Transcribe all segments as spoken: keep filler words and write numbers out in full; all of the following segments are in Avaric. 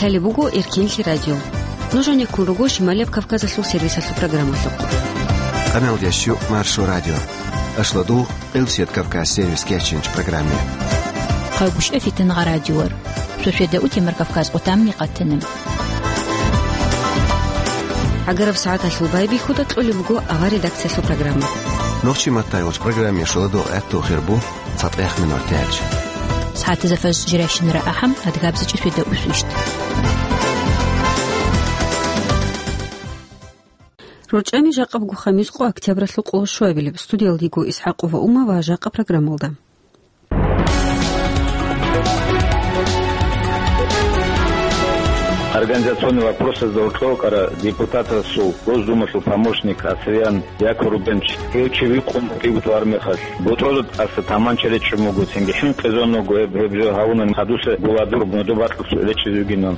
Гьале буго Эркенлъи радио. Нужениккун руго Шималияб Кавказалъул сервисалъул программалъухъ. Къамел ящу Маршо радио. Ашлодул Элсет Кавказ сервис кечинч программе. Хъагушев Фитнагъа радиор. Сосиеда утемар Кавказ къутамни къатанем. Агараб сагӀаталъул байбихьуда кьолеб буго авар редакциялъул программа. Нохчи маттайгъуч программе шуладул гӀатту хирбу. ЦатӀех минор тяч. СагӀатазда фаз жирайщинара ахӀам, адгабзичӀи светда усвищт. РорчӀами жакъаб гухъа мискъу октябралъул къоло щуабилеб. Студиялдиго Исхакъова Ума ва жакъа программалда. Организационный вопросазда гьоркьор вукӀара депутатасул, Госдумалъул помощник Асриян Яко Рубенч, гьев чи вихъун букӀиго тӀвар мехалъ, ботӀрозда тӀаса таманча речӀчӀун буго, цинги хӀинкъизабун буго гьеб, гьеб жо гьавунани хадуса гуладур модо бакьулъ речӀчӀизе вугинан.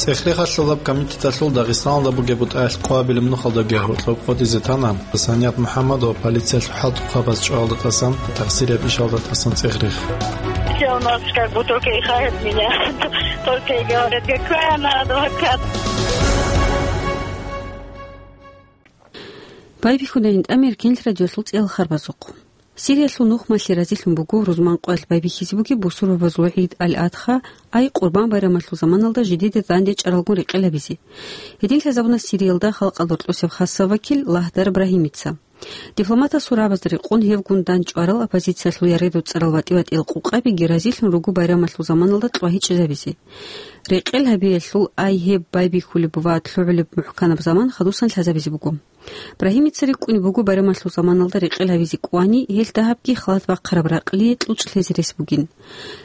ЦӀехрехалъулаб комитеталъул Дагъистаналда бугеб бутӀаялъ къоабилеб нухалдаги гьоркьоб къотӀизе тана Саният МухӀаммадова полициялъул хӀалтӀухъабаз чӀвалда тӀасан, тахсирияб ишалда тӀасан цӀехрех. Все у нас как бы только и хает меня. Только и говорят, какая она адвокат. Байбихьуда гьитӀамир Кенлъ радиолъул цӀел харбазухъ. Сириялъул нухмалъи разилъун буго рузман къоялъ байбихьизе бугеб бусурбабазул гӀид Аль-Адха, ай Къурбан байрамалъул заманалда жидеде данде чӀаралгун рекъел гьабизе. Гьедин лъазабуна Сириялда халкъалда гьоркьосеб хасаб вакил Лагьдар Брагьимица. Дипломатасул рагӀабазда рекъон гьевгун дандчӀварал оппозициялъул яредуцӀарал ватӀи-ватӀиял къукъабиги разилъун руго байрамалъул заманалда кьвагьичӀезабизе. Рекъел гьабиялъул ай гьеб байбихьулеб ва лъугӀулеб мухӀканаб заман хадусан лъазабизе буго. Брагьимица рикӀкӀунеб буго байрамалъул заманалда рекъел гьабизе кӀвани, гьелъ дагьабги халат бахъараб ракълие кьучӀ лъезе рес бугин.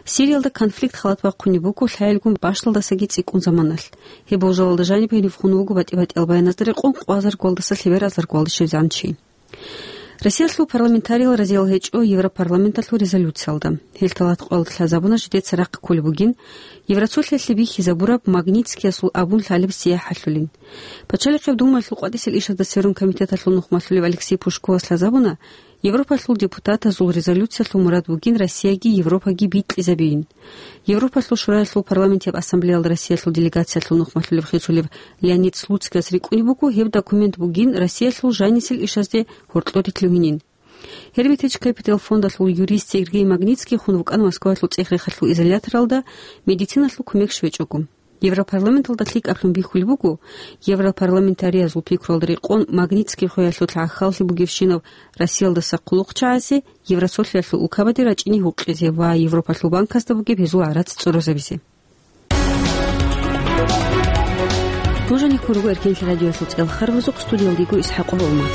Сириялда конфликт халат бахъунеб буго лъагӀелгун бащдалдасаги цӀикӀкӀун заманалъ. Гьеб болжалалда жаниб гьенив хун вуго батӀи-батӀиял баяназда рекъон къвазаргуялдаса лъебералзаргуялде щвезегӀан чи. Россиялъул парламентариял разиял гьечӀо Европарламенталъул резолюциялда. Гьелъ тӀалаб къоялда лъазабуна жидеца рахъ кколеб бугин Евросолъиялъе бихьизабураб Магнитскиясул абун лъалеб сияхӀалъулин. Пачалихъеб Думаялъул къватӀисел ишазда сверун комитеталъул нухмалъулев Алексей Пушковас лъазабуна, Европалъул депутатазул резолюциялъул мурад бугин Россияги Европаги бикьизабейин. Европалъул Шураялъул парламентияб ассамблеялда Россиялъул делегациялъул нухмалъулеб хисулев Леонид Слуцкияс рикӀкӀунеб буго гьеб документ бугин Россиялъул жанисел ишазде гьоркьоре лъугьинин. Гербитич Капитал фондалъул юрист Сергей Магнитский хун вукӀана Москваялъул цӀех-рехалъул изоляторалда медициналъул кумек щвечӀого. Европарламенталда лъикӀаблъун бихьулеб буго, европарламентариязул пикруялда рекъон Магнитский хвеялъул гӀахьаллъи бугебщинаб Россиялдаса хъулухъчагӀазе Евросолъиялъул улкабаде рачӀине гьукъизе ва Европалъул банкасда бугеб гьезул гӀарац цӀорозабизе. Нужениккун руго Эркенлъи радиоялъул цӀел харбазухъ, студиялдиго Исхакъова Ума.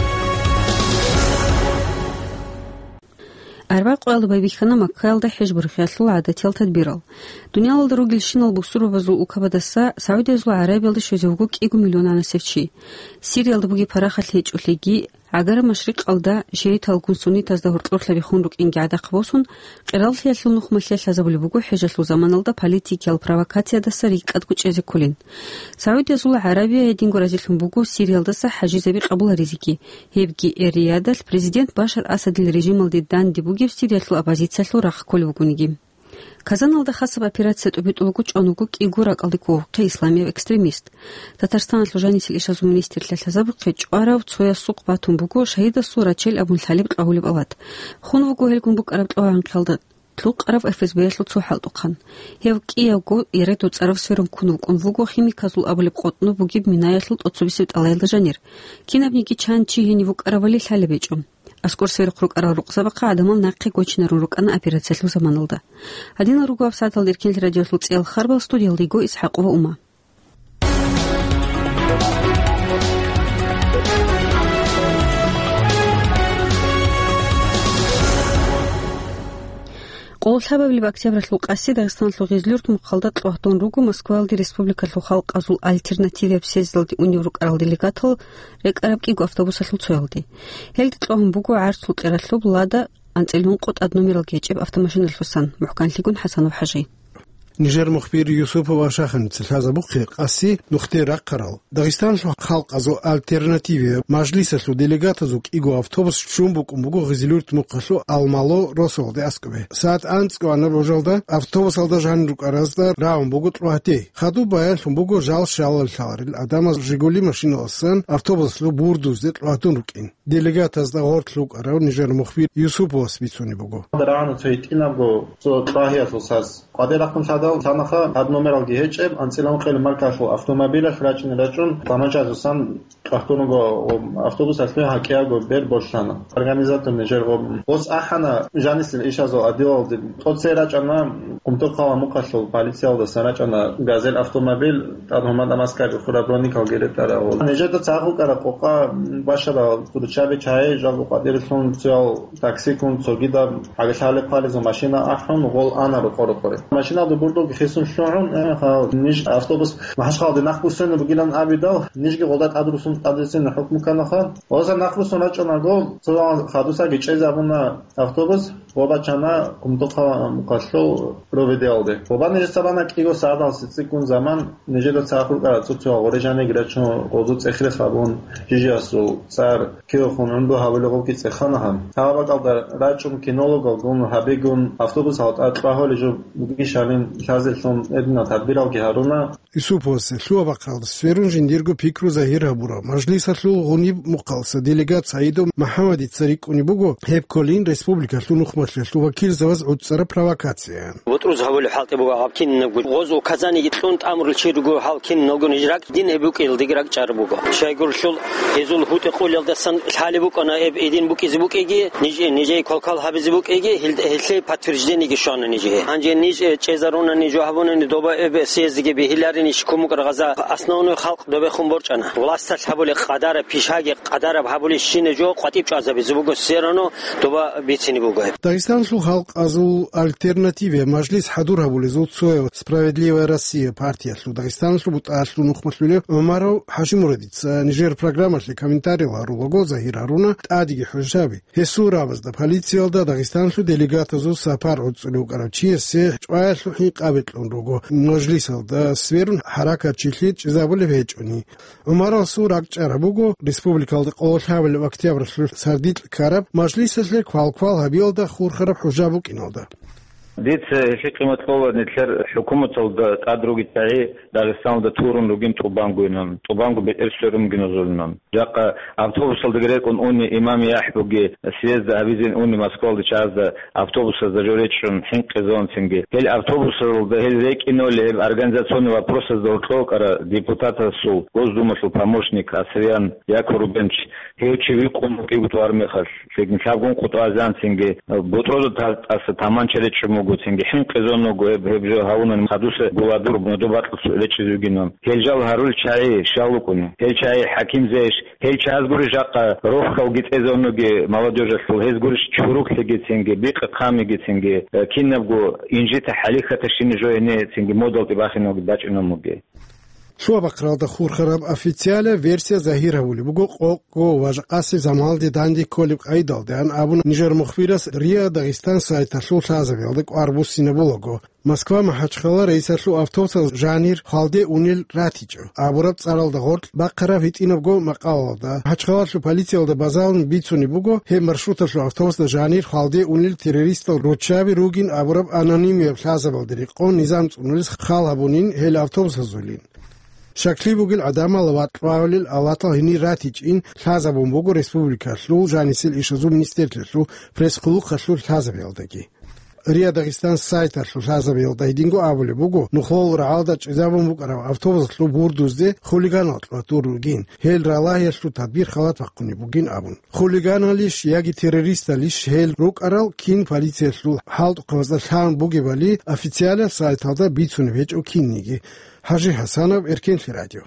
Арбякъоялда байбихьана Маккаялда хӀеж борхиялъул гӀадатиял тадбирал. Дуниялалда ругелщинал бусурбабазул улкабадаса СагӀудиязул ГӀарабиялде щвезе вуго кӀиго миллионанасев чи. Сириялда бугеб парахат гьечӀолъиги, ГӀагараб Машрикъалда шииталгун суннитазда гьоркьорлъаби хун рукӀинги гӀадахъ босун, къераллъиялъул нухмалъе лъазабулеб буго хӀежалъул заманалда политикиял провокациядаса рикӀкӀад кӀочӀезе кколин. СагӀудиязул ГӀарабия гьединго разилъун буго Сириялдаса хӀажизаби къабуларизеги, гьебги Эр-Риядалъ президент Башар Асадил режималде данде бугеб Сириялъул оппозициялъул рахъ кколев вугониги. Казаналда хасаб операция тӀубитӀулаго чӀван вуго кӀиго ракӀалде кколухъе исламияв экстремист. Татарстаналъул жанисел ишазул министрлъа лъазабухъе чӀварав цоясухъ батун буго шагьидасул рачел абун лъалеб кьвагьулеб ават. Хун вуго гьелгун букӀараб кьвагьанхъалда лъукъараб ФСБ-ялъул цо хӀалтӀухъан. Гьев кӀиявго яредуцӀарав сверун ккун вукӀун вуго химиказул абулеб къотӀноб бугеб минаялъул тӀоцебесеб тӀалаялда жанир. Кинабниги чан чи гьенив вукӀаравали лъалеб гьечӀо. АскӀор сверухъ рукӀарал рукъзабахъа гӀадамал нахъе гочинарун рукӀана операциялъул заманалда. Гьадинал руго гьабсагӀаталда Эркенлъи радиоялъул цӀел харбал, студиялда йиго Исхакъова Ума. Къоло лъабабилеб октябралъул къаси Дагъистаналъул Гъезлъюрт мухъалда кьвагьдун руго Москваялде республикалъул халкъазул альтернативияб съездалде унев рукӀарал делегатал рекӀараб кӀиго автобусалъул цоялде. Гьелде кьвагьун буго гӀарцул кьералъуб «Лада» анцӀила ункъо тӀад номерал гьечӀеб автомашиналъусан, мухӀканлъигун ХӀасанов ХӀажи. Нижер мухбир Юсупов Ашаханица лъазабухъе къаси нухде рахъарал Дагъистанлъул халкъазул альтернативияв мажлисалъул делегатазул кӀиго автобус щун букӀун буго Гъизилюрт мухъалъул Алмало росулде аскӀобе. Сагьат анцӀго анаб рожалда автобусалда жанир рукӀаразда рагӀун буго кьогьтей. Хадуб баянлъун буго жал щалал лъаларел гӀадамаз «Жигули» машиналасан автобусалъул бурдузде кьогьтун рукӀин. Делегатазда гъорлъ рукӀарав нижер мухбир Юсуповас бицунеб буго. Рагьана цо гьитӀинабго цо кьогьиялъул саз. КъватӀир рахъун лъадал лъанаха, гьаб номералги гьечӀеб, анцӀила ункъоялда маркалъул автомобилалъ рачӀине рачӀун, таманчаялъусан кьахтун руго автобусалъе гьакӀиябго бер болъана. Организатор нижер гъоб. Гъос ахӀана жанисел ишазул отделалде. ТӀоцей рачӀана, Кумтурхъала мухъалъул полициялдасан рачӀана газель автомобиль, тӀад гьумадамаскаби хураб роникалги ретӀарав. Нижеда цӀакъ рукӀараб къокъа башарал руччаби чагӀи, жал къватӀирелъун цоял таксикун, цогидаб гьагилъали хъвалезул машина ахӀун, гъол ана рокъо-рокъоре. Машиналда бурдулги хисун лъугӀун, э, гьал ниж автобус МахӀачхъалде нахъбуссине бугилан абидал, нижги гъолда тӀадрусун тӀадвуссине хӀукму кканаха. Гъоза нахъбуссун рачӀунаго, цо хадусаги чӀезабуна автобус, ва бачана Кумтурхъа мухъалъул Проведиялде. Ва нижеца бана кӀиго сагӀаталъ цӀикӀкӀун заман, нижеда цӀакъ рукӀарал цо-цо гъорежаниг рачун, гъозу цӀехрехъ абун, жижиясул цӀар киохун гӀумру гьабулеб гъобги цӀехана гьаб. Гьаб бакӀалда рачӀун кинологалгун гьабигун автобусалда тӀад кьвагьулеб жо бугищалин лъазелъун гьединал тадбиралги гьаруна. Юсуповасе лъугьа-бахъаралда сверун жиндирго пикру загьир гьабурав мажлисалъул гъуниб мухъалса делегат Саидов МухӀаммадица рикӀкӀунеб буго, гьеб кколин республикалъул нухмалъиялъул вакилзабаз гӀуцӀараб провокацияян. БутӀруз гьабулеб хӀалтӀи буго гьаб кинабго. Гъоз указаниеги кьун тӀамурал чи руго гьал киналго ниж ракӀ, дин гьеб букӀиналдеги ракӀчӀараб буго. Щайгурелъул гьезул гьутӀи-къулелдасан лъалеб букӀана эб гьедин букӀизе букӀиги, ниж, нижее квалквал гьабизе букӀиги, гьел-, гьелъие подтверждениеги щвана нижее. Гьанже ниж, э, чӀезаруна ниж гьабунани доба эб съездиги бегьиларин иш кумукӀар гъаза. Основной халкъ добехун борчӀана. Власталъ гьабулеб къадараб, пишаги къадараб гьабулеб щинаб жо къватӀиб чӀвазабизе буго, все равно доба бицине буго гьеб. Дагъистанлъул халкъазул альтернативияв мажлис хӀадур гьабулезул цояв «Справедливая Россия» партиялъул Дагъистаналъул бутӀалъул нухмалъулев ГӀумаров ХӀажимурадица нижер программалъе комментариял гьарулаго загьир гьаруна тӀадеги хӀужаби. Гьесул рагӀабазда полициялда Дагъистанлъул делегатазул сапар гӀуцӀулев вукӀарав чиясе чӀваялъул хӀинкъаби кьун руго, мажлисалда сверун хӀаракатчилъи чӀезабулеб гьечӀони. ГӀумарасул ракӀчӀараб буго республикалда къоло лъабабилеб октябралъул сардилъ ккараб мажлисалъе квалквал гьабиялда хурхараб хӀужа букӀиналда. Дица гьелъие къимат кьола, нилъер хӀукуматалда тӀад ругел чагӀи Дагъистаналда турун ругин тӀубангойилан, тӀубанго бетӀер сверун бугин гьезулинан. Жакъа автобусалдаги рекӀун уни имам яхӀ буги, съезда гьабизин уни Москвалде чагӀазда автобусазда жо речӀчӀун хӀинкъизавунцинги. Гьел автобусалда гьел рекӀиноли гьеб организационный вопросазда гьоркьов вукӀарав депутатасул, Госдумалъул помощник Асриян Яко Рубенович, гьев чи викъун вукӀиго тӀвар мехалъ, лъикӀ лъабгун къутӀазанцинги, бутӀрузда та-, тӀаса таманча речӀчӀун буго, цинги хӀинкъизавун вуго, гьеб, гьеб жо гьавунани хадуса гуладур модо бакьулъ речӀчӀизе вугинан. Гьел жал гьарулел чагӀи щал рукӀуна? Гьел чагӀи хӀакимзейищ? Гьел чагӀаз гурищ жакъа рохьалги цӀезавун вугев молодёжалъул, гьез гурищ чуруклъиги цинги, бикъа-хъамиги цинги, э, кинабго инжита-хӀалихьатащинаб жо гьениб цинги модалде бахинавги бачӀунеб бугеб? Лъугьа-бахъаралда хурхараб официалияб версия загьир гьабулеб буго къокъго ва жакъасеб заманалде данде кколеб къайдалдайин абун нижер мухбирас РИА Дагъистан сайталъул лъазабиялда кӀвар буссинабулаго. Москва-МахӀачхъала рейсалъул автобусал жанир хвалде унел ратичӀо абураб цӀаралда гъоркь бахъараб гьитӀинабго макъалалда. МахӀачхъалалъул полициялда базалун бицунеб буго, гьеб маршруталъул автобусда жанир хвалде унел террористал руччаби ругин абураб анонимияб лъазабалде рекъон низам цӀунулес хал гьабунин гьел автобусазулин. Щаклъи бугел гӀадамал ва кьвагьулел авлахъал гьенир ратичӀин лъазабун буго республикалъул жанисел ишазул министрлъиялъул пресс-хъулухъалъул лъазабиялдаги. РИА Дагъистан сайталъул лъазабиялда гьединго абулеб буго, нухлул рагӀалда чӀезабун букӀараб автобусалъул бурдузде хулиганал кьватур ругин, гьел ралагьиялъул тадбир халат бахъунеб бугин абун. Хулиганалищ яги террористалищ гьел рукӀарал кин полициялъул хӀалтӀухъабазда лъан бугебали официалияб сайталда бицунеб гьечӀо кинниги. ХӀажи ХӀасанов, Эркенлъи радио.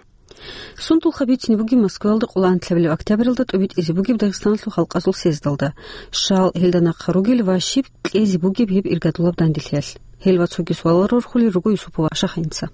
Сундулха бицине бугеб Москваялда къоло анлъабилеб октябралда тӀубитӀизе бугеб Дагъистаналъул халкъазул съездалда. Щал гьелда нахъа ругел ва щиб кьезе бугеб гьеб иргадулаб данделъиялъ? Гьел ва цоги суалал рорхулел руго Юсупова Ашаханица.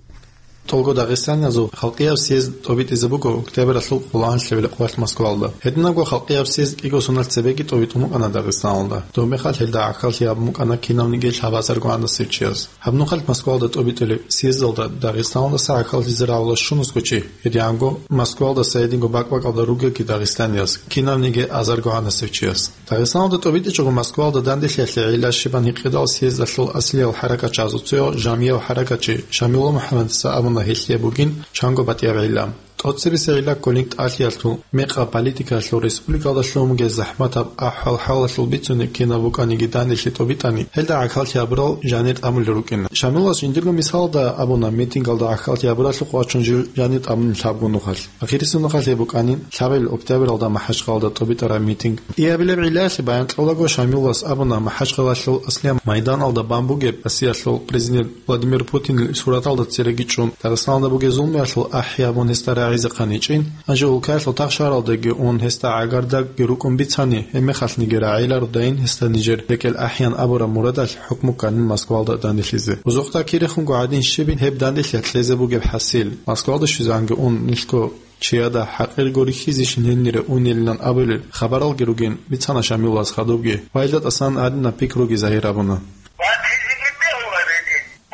ТӀолго дагъистаниязул халкъияб съезд тӀобитӀизе буго октябралъул къоло гьанлъабилеб къоялъ Москвалда. Гьединабго халкъияб съезд кӀиго соналъ цебеги тӀобитӀун букӀана Дагъистаналда. Доб мехалъ гьелда гӀахьаллъи гьабун букӀана кинавниги лъабазарго гӀанасев чияс. Гьаб нухалъ Москвалда тӀобитӀулеб съездалда Дагъистандаса гӀахьаллъизе рагӀула щун аскӀов чи, гьедигӀанго Москвалдаса гьединго бакӀ-бакӀалда ругелги дагъистанияс, кинавниги азарго гӀанасев чияс. Дагъистандаса тӀобитӀичӀого Москвалда данделъиялъе гӀилла щибан гьикъидал съездалъул аслиял хӀаракатчиясул цояв жамияб хӀаракатчи Шамилла МухӀаммадица абуна гьелъие бугин чанго батӀияб гӀилла. ТӀоцебесеб гӀилла кколин тӀалъиялъул, мекъаб политикаялъул, республикалда лъугьун бугеб захӀматаб ахӀвал-хӀалалъул бицунеб кинаб букӀаниги данделъи тӀобитӀани, гьелда гӀахьаллъи гьабурал жанир тӀамулел рукӀина. Шамиллас жиндирго мисалда абуна, митингалда гӀахьаллъи гьабуралъухъ вачун жив жанир тӀамулин лъабго нухалъ. Ахирисеб нухалъ гьеб букӀанин, лъабабилеб октябралда МахӀачхъалада тӀобитӀараб митинг. Иабилеб гӀиллаялъе баян кьолаго, Шамиллас абуна, МахӀачхъалалъул аслияб майданалда бан бугеб Россиялъул президент Владимир Путинил сураталда цереги чӀун, Дагъистаналда бугеб зулмуялъул ахӀи гьабун гьесда рагӀизехъан гьечӀин, гьанже улкаялъул тагъ-шагьаралдаги ун гьесда гӀагардакги рукӀун бицани, гьеб мехалъниги рагӀилародайин гьесда нижер рекӀел ахӀиян абураб мурадалъ хӀукму кканин Москвалда данделъизе. Узухъда кирехунго гӀадин щибин гьеб данделъи кьезе бугеб хӀасил, Москвалда щвезегӀанги ун нилъго чияда хӀакъирго рихьизейищин гьенире унелилан абулел хабаралги ругин бицана Шамиллас хадубги ва гьелда тӀасан гьадинаб пикруги загьир гьабуна.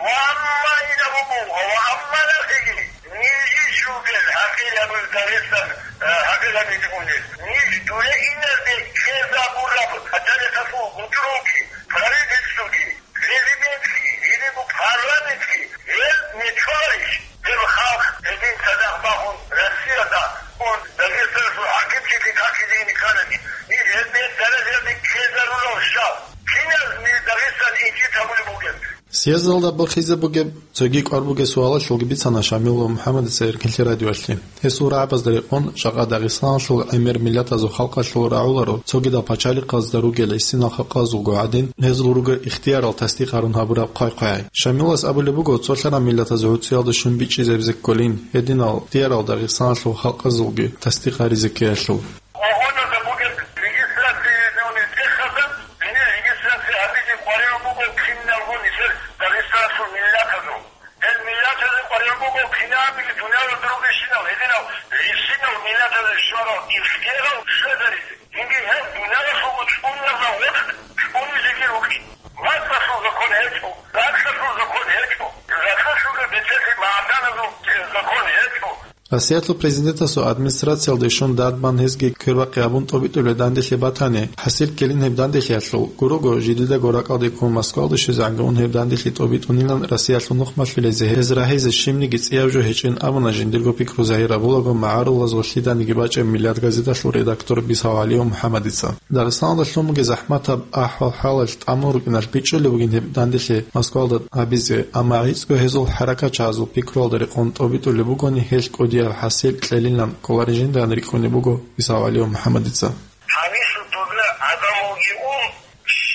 Ва амма ин абу бугъа, ва амма нахиги, нижищ ругел гьакъилаб Дагъистан, э, гьакъилаб унел. Ниж дуе инарде ккезабураб хӀатӀалихъалъул гъутӀруги, правительствоги, президентги, гьединго парламентги, гьел нечварищ, гьеб халкъ гьедин цадахъ бахун Россиялда ун Дагъистаналъул хӀакимлъиялъе какизе ине кканани, ниж гьеб даражаялде ккезарулел щал? Киназ ниж Дагъистан инжит гьабулеб бугеб? Съездалда бухизе бугеб цоги кӀвар бугеб суалалъулги бицана Шамилла МухӀаммадица Эркинлъи радиоялъе. Гьесул рагӀабазда рекъон, жакъа Дагъистаналъул гӀемер миллатазул халкъалъул рагӀуларо, цогидал пачалихъазда ругел гьесинал халкъазулго гӀадин, гьезул ругел ихтиярал тасдикъ гьарун гьабураб хъвай-хъвай. Шамиллас абулеб буго, цолъарал миллатаз гӀуцӀиялда щун бичӀчӀизабизе кколин гьединал ихтиярал Дагъистаналъул халкъазулги тасдикъ гьаризе ккеялъул. Вагоназда бугеб регистрация гьезул нилъехъазда, гьенир регистрация гьабизе къваригӀун буго киналго нилъер Дагъистаналъул миллатазул. Гьел миллатазе къваригӀун буго кинабиги дуниялалда ругелщинал гьединал гьесинал миллатазе щварал ихтиярал щвезаризе. Цинги гьел дуниялалъул чӀуназда гъоркь чӀунизеги рукӀин. МацӀалъул закон гьечӀо, ракьалъул закон гьечӀо, ракьалъулги бетӀерлъи магӀаданазул закон гьечӀо. Россиялъул президентасул администрациялде щун дадбан гьезги квербахъи абун тӀобитӀулеб данделъи батани, хӀасил ккелин гьеб данделъиялъул, гурого, жидедаго ракӀалде ккун Москвалде щвезегӀанги ун гьеб данделъи тӀобитӀунилан Россиялъул нухмалъулезе гьез рагьизе щибниги цӀияб жо гьечӀин абуна жиндирго пикру загьир гьабулаго магӀарулазул лъиданиги бачӀеб «Миллат» газеталъул редактор Бисавалиев МухӀаммадица. Дагъистаналда лъун бугеб захӀматаб ахӀвал-хӀалалъ тӀамун рукӀиналъ бичӀчӀулеб бугин гьеб данделъи Москвалда гьабизе, амма гӀицӀго гьезул хӀаракатчагӀазул пикруялда рекъон тӀобитӀулеб бугони, гьелъ кӀудияб хӀасил кьелилан кколарин жиндан рикӀкӀунеб буго Бисавалиев МухӀаммадица. Гьанисул дозда гӀадамалги ун,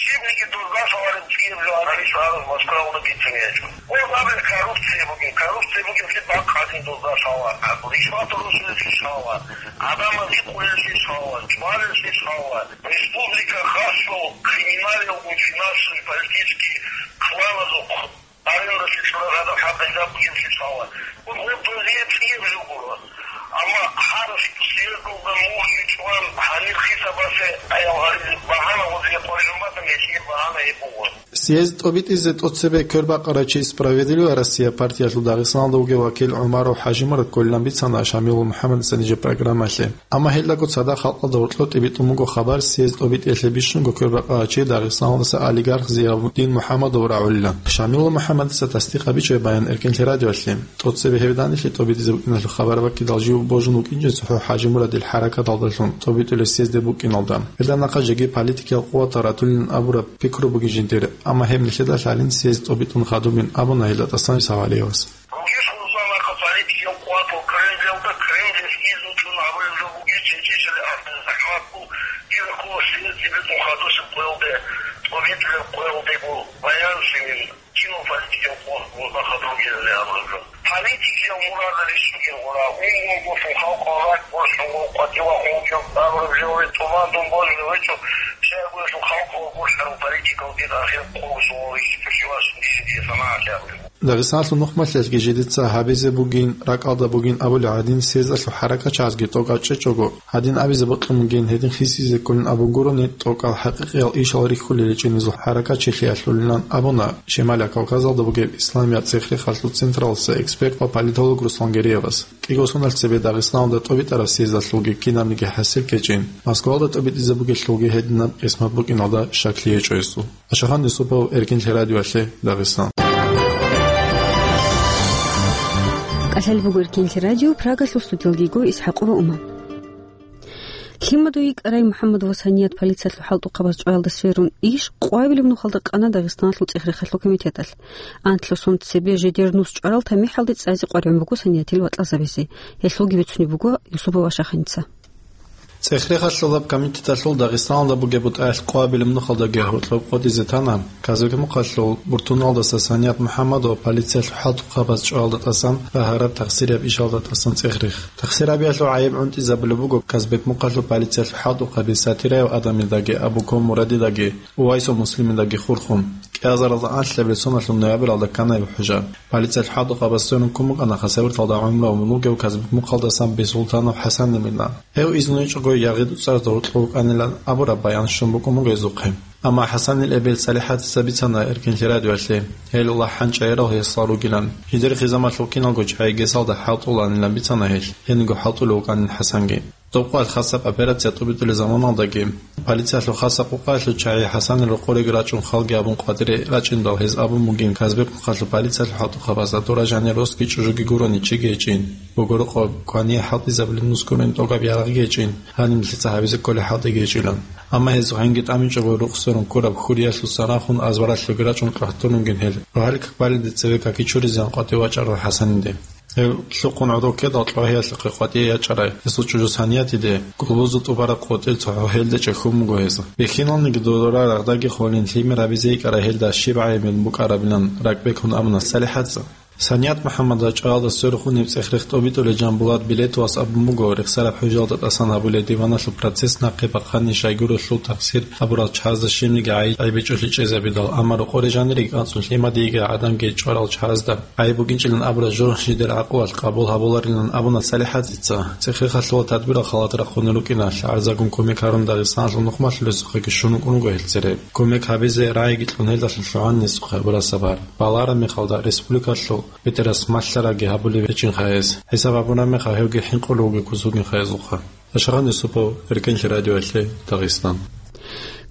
щибниги дозда лъалареб кӀияб жо гьанис гьарун Москваялда бицунеб гьечӀо. Гьеб абе коррупция бугин, коррупция бугин, лъе бакъ гьадин дозда лъала, ришват росулелъе лъала, гӀадамал гьикъулелъе лъала, чӀвалелъе лъала. Республика хасго криминалиялгун, финансовый, политический кланазухъ арендалъе чӀварал гьадаб хӀакъ гьезда бугеб лъаларо. Гьеб дозие кӀияб жо гуро. Амма гьаб съездалда мугьги чӀван гьанир хисабалъе аял гьаризе багьана гьезие къваригӀун батани, гьелъие багьана гьеб буго. Съезд тӀобитӀизе тӀоцебе квербакъарав чи Справедливая Россия партиялъул Дагъистаналда вугев вакил ГӀумаров ХӀажимурад кколилан бицана Шамилла МухӀаммадица нижер программалъе. Амма гьелдаго цадахъ халкъалда гьоркьоб тӀибитӀун буго хабар, съезд тӀобитӀиялъе бищунго квербакъарав чи Дагъистаналдаса олигарх Зиявуддин МухӀаммадов рагӀулилан. Шамилла МухӀаммадица тасдикъ гьабичӀеб баян Эркинлъи радиоялъе. ТӀоцебе гьеб данделъи тӀобитӀизе букӀиналъул хабар баккидал жив божун вукӀинчӀеб цохӀо ХӀажимурадил хӀаракаталдалъун тӀобитӀулеб съезде букӀиналда. Гьелда нахъа жеги политикиял къуватал ратулилан абураб пикру бугин жиндир, амма гьеб нилъеда лъалин съезд тӀобитӀун хадубин абуна гьелда тӀасан Савалиевас. Ругищ гьезул нахъа политикиял къуватал Кремльалда, Кремльалъ изну чӀун гьабулеб жо бугищ, гьечӀищали ахӀдал захӀматго, кӀиго ккола съезд тӀибитӀун хадусеб къоялде, тӀобитӀулеб къоялдего баянлъилин, кинал политикиял къуваталда хадуб гьезулеб абураб жо. Политикиял мурадалищ бугин гъура, унго-унгосун халкъалъул ракӀ борщун ва къватӀивахъун вугев абураб жо, тӀубан дун божулев гьечӀо, щайгурелъул халкъалъул борщарав политик. Дагъистаналъул нухмалъиялъги жидеца гьабизе бугин, ракӀалда бугин абулеб гӀадин, съездалъул хӀаракатчагӀазги тӀокӀал чӀечӀого, гьадин абизе бокьун бугин, гьедин хисизе кколин абун гурони, тӀокӀал хӀакъикъиял ишал рихьулел ричӀинезул хӀаракатчилъиялъулилан абуна Шималияб Кавказалда бугеб Исламияб цӀех-рехалъул централалъа эксперт ва политолог Руслан Гериевас. КӀиго соналъ цебе Дагъистаналда тӀобитӀараб съездалъулги кинабниги хӀасил ккечӀин, Москваялда тӀобитӀизе бугелъулги гьединаб къисмат букӀиналда щаклъи гьечӀо гьесул. Ашахан Юсупов, Эркинлъи радиоялъе, Дагъистан. КӀалъалеб буго Эркинлъи радио, Прагалъул студиялги йиго ИсхӀакъова Умар. Лъимадуй йикӀарай МухӀаммадова Саният полициялъул хӀалтӀухъабаз чӀваялда сверун иш къвабилеб нухалда къана Дагъистаналъул цӀех-рехалъул комитеталъ. Анлъго сон цебе жидер нус чӀварал тамихӀалде цӀазе къваригӀун буго Саниятил вацӀазабизе. Гьелъулги бицунеб буго Юсупов Ашаханица. ЦӀех-рехалъулаб комитеталъул Дагъистаналда бугеб бутӀаялъ къвабилеб нухалдаги гьоркьоб къотӀизе тана Казбек-Мухъалъул Буртуналдаса Саният МухӀаммадова полициялъул хӀалтӀухъабаз чӀваялда тӀасан ва гьараб тахсирияб ишалда тӀасан цӀех-рех. Тахсир гьабиялъул гӀайиб гӀунтӀизабулеб буго Казбек-Мухъалъул полициялъул хӀалтӀухъаби Сатираев Адамидаги Абуков Мурадидаги Увайсов Муслимидаги хурхун. КӀиазаралда анлъабилеб соналъул ноябралда ккана гьеб хӀужа. Полициялъул хӀалтӀухъабаз сверун ккун букӀана Хасавюрталда гӀумру гьабун вугев Казбек-Мухъалдасан Бесултанов ХӀасанил мина. Гьев изну гьечӀого ягъи-дуцӀарда гьоркьов вукӀанилан абураб баян щун букӀун буго гьезухъе. Амма ХӀасанил эбел СалихӀатица бицана Эркинлъи радиоялъе, гьел лахӀан чӀегӀерал гьесал ругилан. Жидер хизамалъул киналго чагӀи гесалда хӀалтӀуланилан бицана гьелъ, гьениго хӀалтӀулев вукӀанин ХӀасанги. Доб къоялъ хасаб операция тӀубитӀулел заманалдаги, полициялъул хасаб къукъаялъул чагӀи ХӀасанил рокъореги рачӀун халги абун къватӀире рачӀиндал гьез абун бугин Казбек-Мухъалъул полициялъул хӀалтӀухъабазда дора жанир росги чӀужуги гурони чиги гьечӀин. Буго рокъоб, квание хӀалтӀизабулеб нус гурин тӀогаб ярагъги гьечӀин, гьаниб нилъеца гьабизе кколеб хӀалтӀиги гьечӀилан. Амма гьезухъ гьанги тӀамичӀого рукъ сверун ккураб хьуриялъуса рахун азбаралъуги рачӀун кьвагьтурунгин гьел, рогьалил как балебде цеве каки чуризеян къватӀив вачӀарал ХӀасаниде. Гьев лъухъун гӀодов ккедал кьвагьиялъухъе къватӀие ячӀарай гьесул чӀужу Саниятиде, гулбузул тӀубараб къотӀил цохӀо гьелде чӀехьун буго гьез. Бихьиналниги додора рагъдаги холин лъимер гьабизе йикӀарай гьелда щиб гӀайиб букӀарабилан ракӀбекун абуна СалихӀатица. Саният МухӀаммадов чӀаялда сверухъ унеб цӀех-рех тӀобитӀулев Жамбулат Билетовас абун буго, рехсараб хӀужалда тӀасан гьабулеб диваналъул процесс нахъе бахъани щайгурелъул тахсир гьабурал чагӀазда щибниги гӀай-, гӀайиб гьечӀолъи чӀезабидал, амма рокъоре жаниреги анцӀун лъимадиеги гӀадамги чӀварал чагӀазда гӀайиб букӀинчӀилан абураб жо жидер гӀакълуялъ къабул гьабуларилан абуна СалихӀатица. ЦӀех-рехалъула тадбирал халатаб рахъун рукӀиналъ гӀарзагун кумек гьарун Дагъистаналъул нухмалъулесухъеги щун вукӀун вуго гьел цере. Кумек гьабизе рагӀиги кьун гьелдалъун лъугӀан гьесухъе гьабураб сабар. Балараб мехалда республикалъул БетӀерас малъарабги гьабулеб гьечӀинха гьес. ХӀисаб гьабураб мехалъ гьевги хӀинкъулевги ккусугинха гьезухъа. Ашахан Юсупов, Эркенлъи радиоялъе, Дагъистан.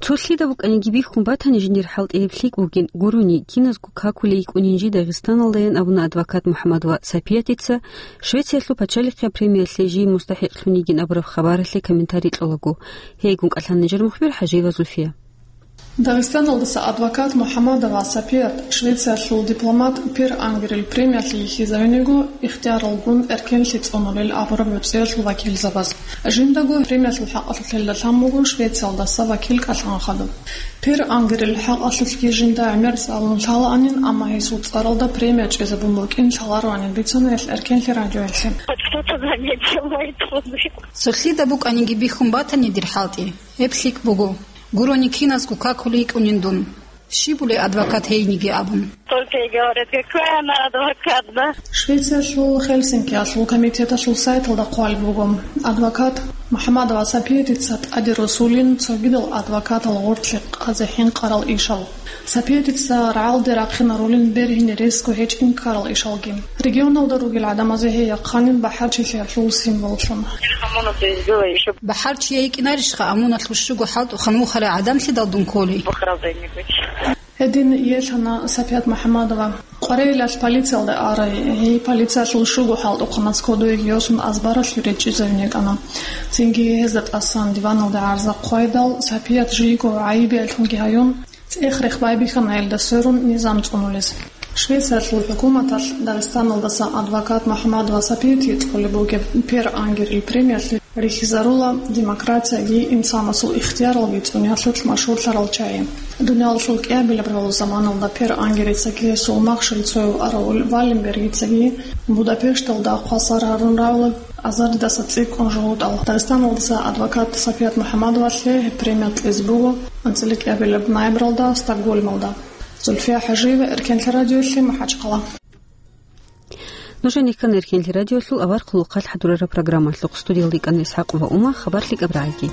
Цо лъида букӀаниги бихьун батани, жиндир хӀалтӀи гьеб лъикӀ бугин гурони, киназго какулей йикӀунин жи Дагъистаналдаян абуна адвокат МухӀаммадова Сапиятица, Швециялъул пачалихъе премиялъе жий мустахӀикълъун йигин абураб хабаралъе комментарий кьолаго. Гьейгун кӀалъан нижер мухбир ХӀажиева Зульфия. Дагъистаналдаса адвокат МухӀаммадова Сапият Швециялъул дипломат Пер Ангерил премиялъе йихьизавинего ихтияралгун эркенлъи цӀунулел абураб нуцӀиялъул вакилзабаз. Жиндаго премиялъул хӀакъалъулъ гьелда лъан буго Швециялдаса вакил кӀалъан хадуб. Пер Ангерил хӀакъалъулъги жинда гӀемер цӀалун лъалаанин, амма гьесул цӀаралда премия чӀезабун букӀин лъалароанин бицана гьелъ эркенлъи радиоялъе. Цо лъида букӀаниги бихьун батани дир хӀалтӀи, гьеб лъикӀ буго. Гурони киназго какулей йикӀунин дун. Щиб були адвокат гьейниги абун? Только и говорят, какой она адвокат, да? Швециялъул Хельсинкиялъул комитеталъул сайталда хъвалеб буго: адвокат МухӀаммадова Сапиятица тӀаде росулин цогидал адвокатал гъорлъе къазе хӀинкъарал ишал. Сапиятица рагӀалде рахъинарулин бергьине ресго гьечӀин ккарал ишалги. Регионалда ругел гӀадамазе гьей яхъанин бахӀарчилъиялъул символлъун. БахӀарчияй йикӀинарищха амуналъул щуго хӀалтӀухъан вухарай гӀадамлъидал дун кколей? Гьедин иелъана Сапият МухӀаммадова. Къварилъалъ полициялда арай, гьей полициялъул щуго хӀалтӀухъаназ кодовеги йосун азбаралъуре чӀезавин йикӀана. Цинги гьезда тӀасан диваналде гӀарза хъвайдал, Сапият жийго гӀайибиялъунги гьаюн, цӀех-рех байбихьана гьелда сверун низам цӀунулес. Швециялъул хӀукуматалъ Дагъистаналдаса адвокат МухӀаммадова Сапиятие цӀолеб бугеб Пер Ангерил премиялъе рихьизарула демократияги инсанасул ихтияралги цӀуниялъулъ машгьурлъарал чагӀи. Дуниялалъул кӀиабилеб гӀоло заманалда Пер Ангерицаги гьесул махщел цояв арав Валенбергицаги Будапешталда хъвасар гьарун рагӀула Азардаса цӀикӀкӀун жугьутӀал Дагъистаналдаса адвокат Сапият МухӀаммадовалъе гьеб премия кьезе буго анцӀила кӀиабилеб ноябралда Стокгольмалда. Зульфия ХӀажиева, Эркенлъи радиолъи, МахӀачхъала. Нуж гьанир ккана Эркенлъи радиолъул авар хъулухъалъ хӀадурараб программалъухъ. Студиялда йикӀана ИсхӀакъ ва Ума, хабар лъикӀаб рагӀаги.